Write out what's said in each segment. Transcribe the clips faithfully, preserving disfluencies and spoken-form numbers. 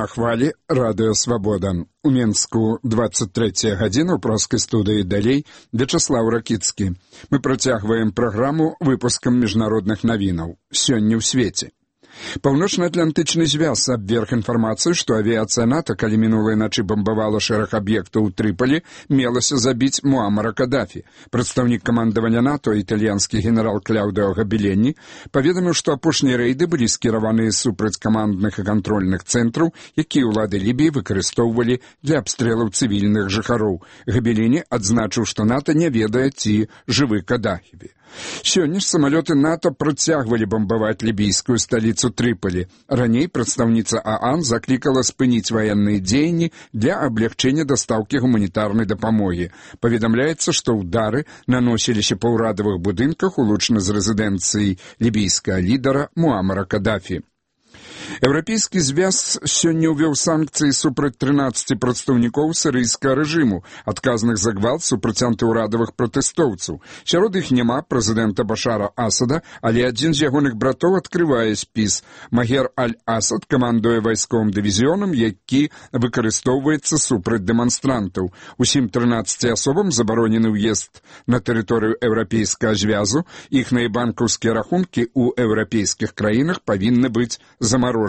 На хвалі радыё «Свабода». У Менску двадцать третья гадзіна, ў проскай студыі далей Вячаслаў Ракіцкі. Мы працягваем праграму выпускам міжнародных навінаў. Сёння ў свеце. Паўночна-атлантычны звяз абверг інфармацыю, што авіяцыя НАТО, калі мінулай начы бамбавала шэраг аб'ектаў у Трыполі, мелася забіць Муамара Кадафі. Прадстаўнік камандавання НАТО, італьянскі генерал Кляудыо Габеленні, паведаміў, што апошнія рэйды былі скіраваныя супраць камандных і кантрольных цэнтраў, якія ўлады Лібіі выкарыстоўвалі для абстрэлаў цывільных жыхароў. Габеленні адзначыў, што НАТО не ведае, ці жывы Кадафі. Сёння ж самалёты НАТО працягвалі бамбаваць лібійскую сталіцу Трыполі. Раней прадстаўніца ААН заклікала спыніць ваенныя дзеянні для аблягчэння дастаўкі гуманітарнай дапамогі. Паведамляецца, што ўдары наносіліся па ўрадавых будынках, улучна з рэзідэнцыі лібійскага лідара Муамара Кадафі. Еўрапейскі звяз сёння ўвёў санкцыі супраць трынаццаці прадстаўнікоў сірыйскага рэжыму, адказных за гвалт супраць антыўрадавых пратэстоўцаў. Сярод іх няма прэзідэнта Башара Асада, але адзін з ягоных братоў адкрывае спіс. Магер Аль-Асад камандуе вайсковым дывізіёнам, які выкарыстоўваецца супраць дэманстрантаў. Усім трынаццаці асобам забаронены ўезд на тэрыторыю еўрапейскага звязу. Іхныя банкаўскія рахункі ў еўрапейскіх краінах павінны быць замарожаныя.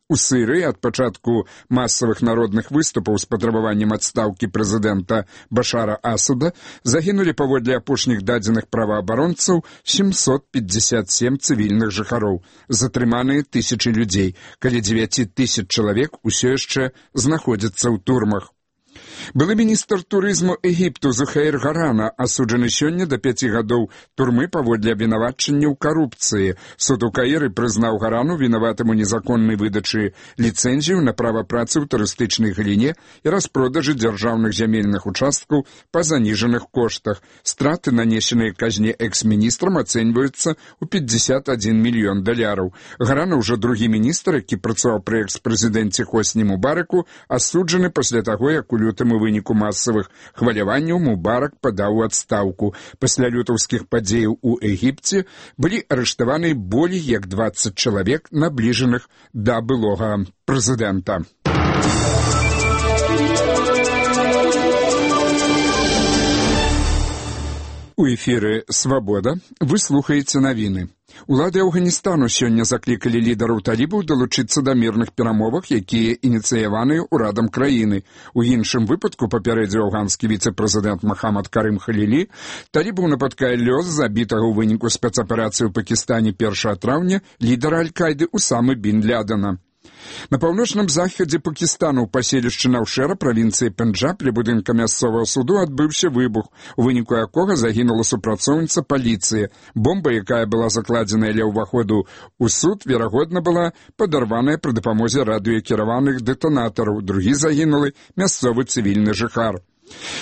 У Сырыі ад пачатку масавых народных выступаў з патрабаваннем адстаўкі прэзідэнта Башара Асада загінулі паводле апошніх дадзеных праваабаронцаў сямьсот пятьдесят семь цывільных жыхароў. Затрыманыя тысячы людзей, каля дзевяці тысяч чалавек усё яшчэ знаходзяцца ў турмах. Былы міністр турызму Егіпту Зухейр Гарана асуджаны сёння да пяці гадоў турмы паводле абвінавачання ў карупцыі. Суд у Каіры прызнаў Гарану вінаватым у незаконнай выдачы ліцэнзію на права працы ў турыстычнай галіне і распродажы дзяржаўных зямельных участкаў па заніжаных коштах. Страты, нанесеныя казне экс-міністрам, ацэньваюцца ў пятьдесят один мільён даляраў. Гарана, ўжо другі міністр, які працаваў пры экс-прэзідэнце Хосні Мубараку, асуджаны пасля таго, як у лютым у выніку масавых хваляванняў Мубарак падаў у адстаўку. Пасля лютаўскіх падзеяў у Егіпце былі арыштаваны болей як двадцать чалавек, набліжаных да былога прэзідэнта. У эфіры «Свабода» вы слухаеце навіны. Улады Афганістану сёння заклікалі лідараў талібаў далучыцца да мірных перамовах, якія ініцыяваныя ўрадам краіны. У іншым выпадку, папярэдзіў афганскі віцэ-прэзідэнт Махамад Карым Халілі, талібаў напаткае лёс забітага ў выніку спецаперацыі ў Пакістане першага траўня лідара Аль-Кайды Усамы бін Лядена. На паўночным захадзе Пакістану ў паселішчы Наўшэра, правінцыі Пенджаб, ля будынка мясцовага суду адбыўся выбух, у выніку якога загінула супрацоўніца паліцыі. Бомба, якая была закладзеная ля ўваходу ў суд, верагодна была падарваная пры дапамозе радыёкіраваных дэтанатараў. Другі загінулы мясцовы цывільны жыхар.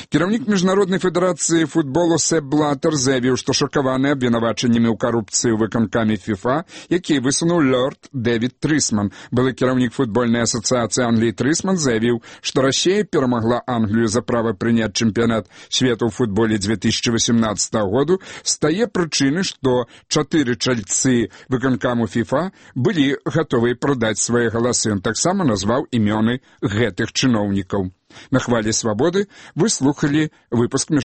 Кіраўнік міжнароднай федэрацыі футболу Сэп Блатер заявіў, што шакаваны абвінавачаннямі ў карупцыі ў выканкаме ФІФА, які высунуў лорд Дэвід Трысман. Былы кіраўнік футбольнай асацыяцыі Англіі Трысман заявіў, што Расія перамагла Англію за права прыняць чэмпіянат свету ў футболе две тысячи восемнадцатого году з тае прычыны, што чатыры чальцы выканкаму ФІФА былі гатовыя прадаць свае галасы. Ён таксама назваў імёны гэтых чыноўнікаў. На хвалі «Свабоды» вы слухали выпуск